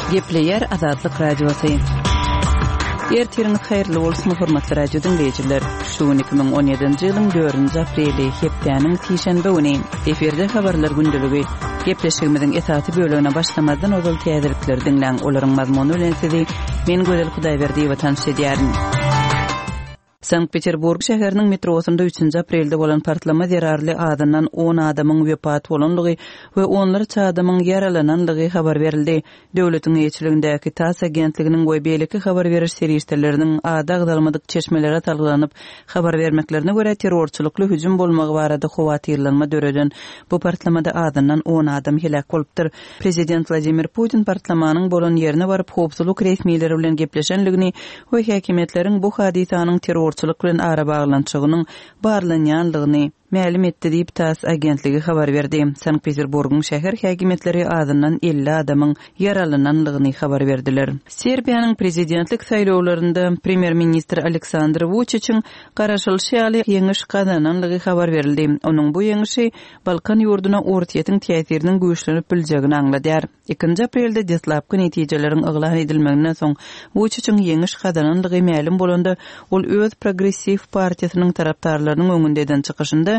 Gepleýär Azatlyk Radiosy. Ertiriňiz haýyrly bolsun, hormatly radio diňleýjiler. Şu gün 2017-nji ýylyň 4-nji apreli, hepdäniň sişenbe güni. Efirde habarlar gündeligi. Gepleşigimiziň esasy bölegine başlamazdan ozal täzelikleri diňläň. Olaryň mazmuny bilen sizi men Gözel Hudaýberdiýewa tanyş edýärin. Sankt-Peterburg şäheriniň metrosynda üçünji aprelde bolan partlama zerarly azyndan on adamyň wepat bolandygy we onlarça adamyň ýaralanandygy habar berildi. Döwletiň eýeçiligindäki TASS agentliginiň we beýleki habar beriş serişdeleriniň ady agzalmadyk çeşmelere salgylanyp habar bermeklerine görä, terrorçylykly hüjüm bolmagy barada howatyrlanma döreden bu partlamada azyndan on adam heläk bolupdyr. Prezident Wladimir Putin partlamanyň bolan ýerine baryp, howpsuzlyk resmileri bilen gepleşendigini we häkimiýetleriň bu hadysanyň terrorçylyk bilen arabaglanyşygynyň barlanýandygyny mälim etdi diýip, tass agentligi habar berdi. Sankt-Peterburgyň şäher häkimiýetleri azyndan 50 adamyň ýaralanandygyny habar berdiler. Serbiýanyň prezidentlik saýlawlarynda premýer-ministr Aleksandr Wuçiçiň garaşylyşy ýaly ýeňiş gazanandygy habar berildi. Onuň bu ýeňşi Balkan ýurduna Orsýetiň täsiriniň güýçlenip biljegini aňladýar. Ikinji aprelde deslapky netijeleriň yglan edilmeginden soň, Wuçiçiň ýeňiş gazanandygy mälim bolanda, ol öz Progressiw partiýasynyň tarapdarlarynyň öňünde eden çykyşynda,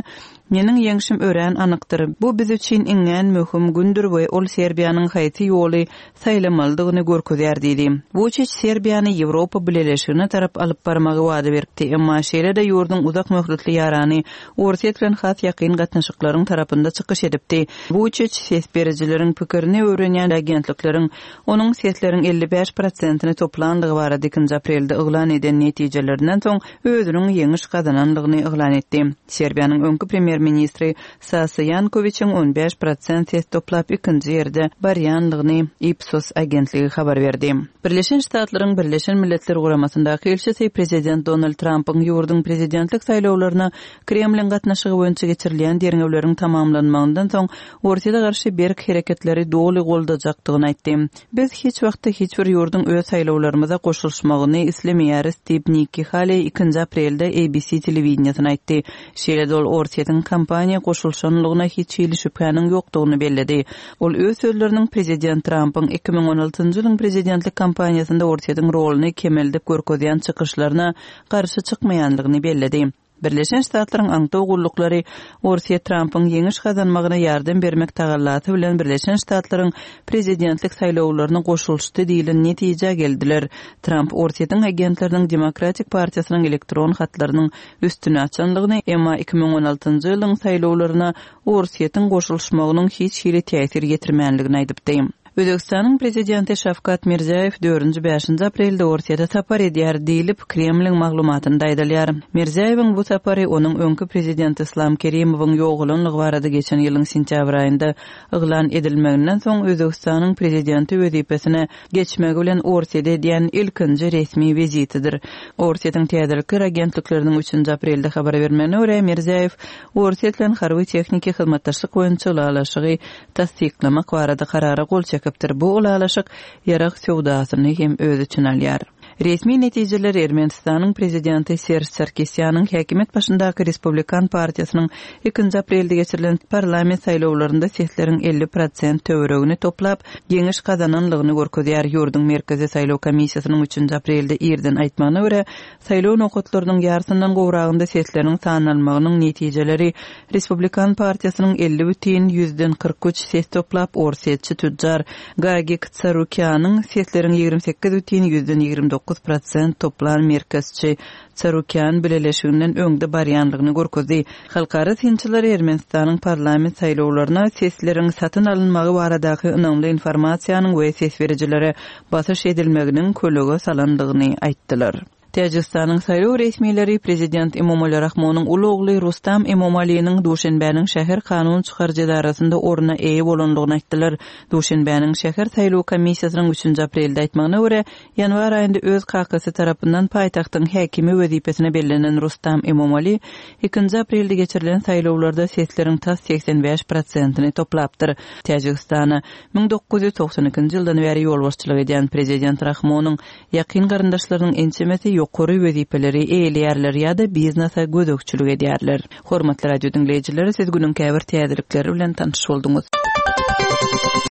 Meniň ýeňşim örän anykdyr. Bu biz üçin iňňän möhüm gündür we ol Serbiýanyň haýsy ýoly saýlamalydygyny görkezýär diýdi. Wuçiç Serbiýany Ýewropa Bileleşigine tarap alyp barmagy wada beripdi, emma şeýle-de ýurduň uzak möhletli ýarany Orsýet bilen has ýakyn gatnaşyklaryň tarapynda çykyş edipdi. Wuçiç ses berijileriň pikirini öwrenýän agentlikleriň onuň sesleriň 55 prosentini toplandygy barada ikinji aprelde yglan eden netijelerinden soň özüniň ýeňiş gazanandygyny yglan etdi. Serbiýanyň öňki premýer-ministri Sasa Ýankowiçiň 15 prosent ses toplap ikinji ýerde barýandygyny Ipsos agentligi habar berdi. Birleşen Ştatlaryň Birleşen Milletler Guramasyndaky ilçisi prezident Donald Trampyň ýurduň prezidentlik saýlawlaryna Kremliň gatnaşygy boýunça geçirilýän derňewleriň tamamlanmagyndan soň Orsýete garşy berk hereketleri doly goldajakdygyny aýtdy. Biz hiç wagtda hiç bir ýurduň öz saýlawlarymyza goşulyşmagyny islemeýäris diýip, Nikki Haleý ikinji aprelde ABC telewideniýesine aýtdy. Şeýle-de ol Orsýetiň kampaniýa goşulyşanlygyna hiç hili şübhäniň ýokdugyny belledi. Ol öz sözleriniň prezident Trampyň 2016-njy ýylyň prezidentlik kampaniýasynda Orsýetiň roluny kemeldip görkezýän çykyşlaryna garşy çykmaýandygyny belledi. Birleşen Ştatlaryň aňtaw gulluklary Orsýet Trampyň ýeňiş gazanmagyna ýardam bermek tagallasy bilen Birleşen Ştatlaryň prezidentlik saýlawlaryna goşulyşdy diýlen netijä geldiler. Tramp Orsýetiň agentleriniň Demokratik partiýasynyň elektron hatlarynyň üstüni açandygyny, emma 2016-njy ýylyň saýlawlaryna Orsýetiň goşulyşmagynyň hiç hili täsir ýetirmänligini aýdypdy. Özbegistanyň prezidenti Şawkat Mirziýoýew dördünji-bäşinji aprelde Orsýete sapar edýär diýlip, Kremliň maglumatynda aýdylýar. Mirziýoýewiň bu sapary onuň öňki prezident Yslam Kerimowyň ýogalanlygy barada geçen ýylyň sentýabr aýynda yglan edilmeginden soň Özbegistanyň prezidenti wezipesine geçmegi bilen Orsýete edýän ilkinji resmi wizitidir. Orsýetiň täzelikler agentlikleriniň üçünji aprelde habar bermegine görä, Mirziýoýew Orsýet bilen harby-tehniki hyzmatdaşlyk boýunça ylalaşygy tassyklamak barada karara gol çekipdir. Bu ylalaşyk ýarag söwdasyny hem öz içine alýar. Resmi netijeler Ermenistanyň prezidenti Serž Sarkisýanyň häkimiýet başyndaky Respublikan partiýasynyň ikinji aprelde geçirilen parlament saýlawlarynda sesleriň 50 prosent töweregini toplap, ýeňiş gazananlygyny görkezýär. Ýurduň Merkezi saýlaw komissiýasynyň üçünji aprelde irden aýtmagyna görä, Saýlaw nokatlarynyň ýarysyndan gowragynda sesleriň sanalmagynyň netijeleri Respublikan partiýasynyň 50,43 ses toplap, orsýetçi tütjar Gagik Tsarukýanyň sesleriň 28,29 prosent toplan merkezçi Tsarukýan bileleşiginden öňde barýanlygyny görkezdi. Halkara synçylar Ermenistanyň parlament saýlawlaryna sesleriň satyn alynmagy baradaky ynamly informasiýanyň we ses berijilere basyş edilmeginiň kölege salandygyny aýtdylar. Täjigistanyň saýlaw resmileri prezident Emomali Rahmonyň uly ogly Rustam Emomaliniň Duşenbäniň şäher kanun çykaryjy edarasynda orna eýe bolandygyny aýtdylar. Duşenbäniň şäher saýlaw komissiýasynyň üçünji aprelde aýtmagyna görä, ýanwar aýynda öz kakasy tarapyndan paýtagtyň häkimi wezipesine bellenen Rustam Emomali ikinji aprelde geçirilen saýlawlarda sesleriň tas 85 prosentini toplapdyr. Täjigistana 1992-nji ýyldan bäri ýolbaşçylyk edýän prezident Rahmonyň ýakyn garyndaşlarynyň ençemesi ýokary wezipeleri eýeleýärler ýa-da biznese gözegçilik edýärler. Hormatly radio diňleýjiler, siz günüň käbir täzelikleri bilen tanyş bolduňyz.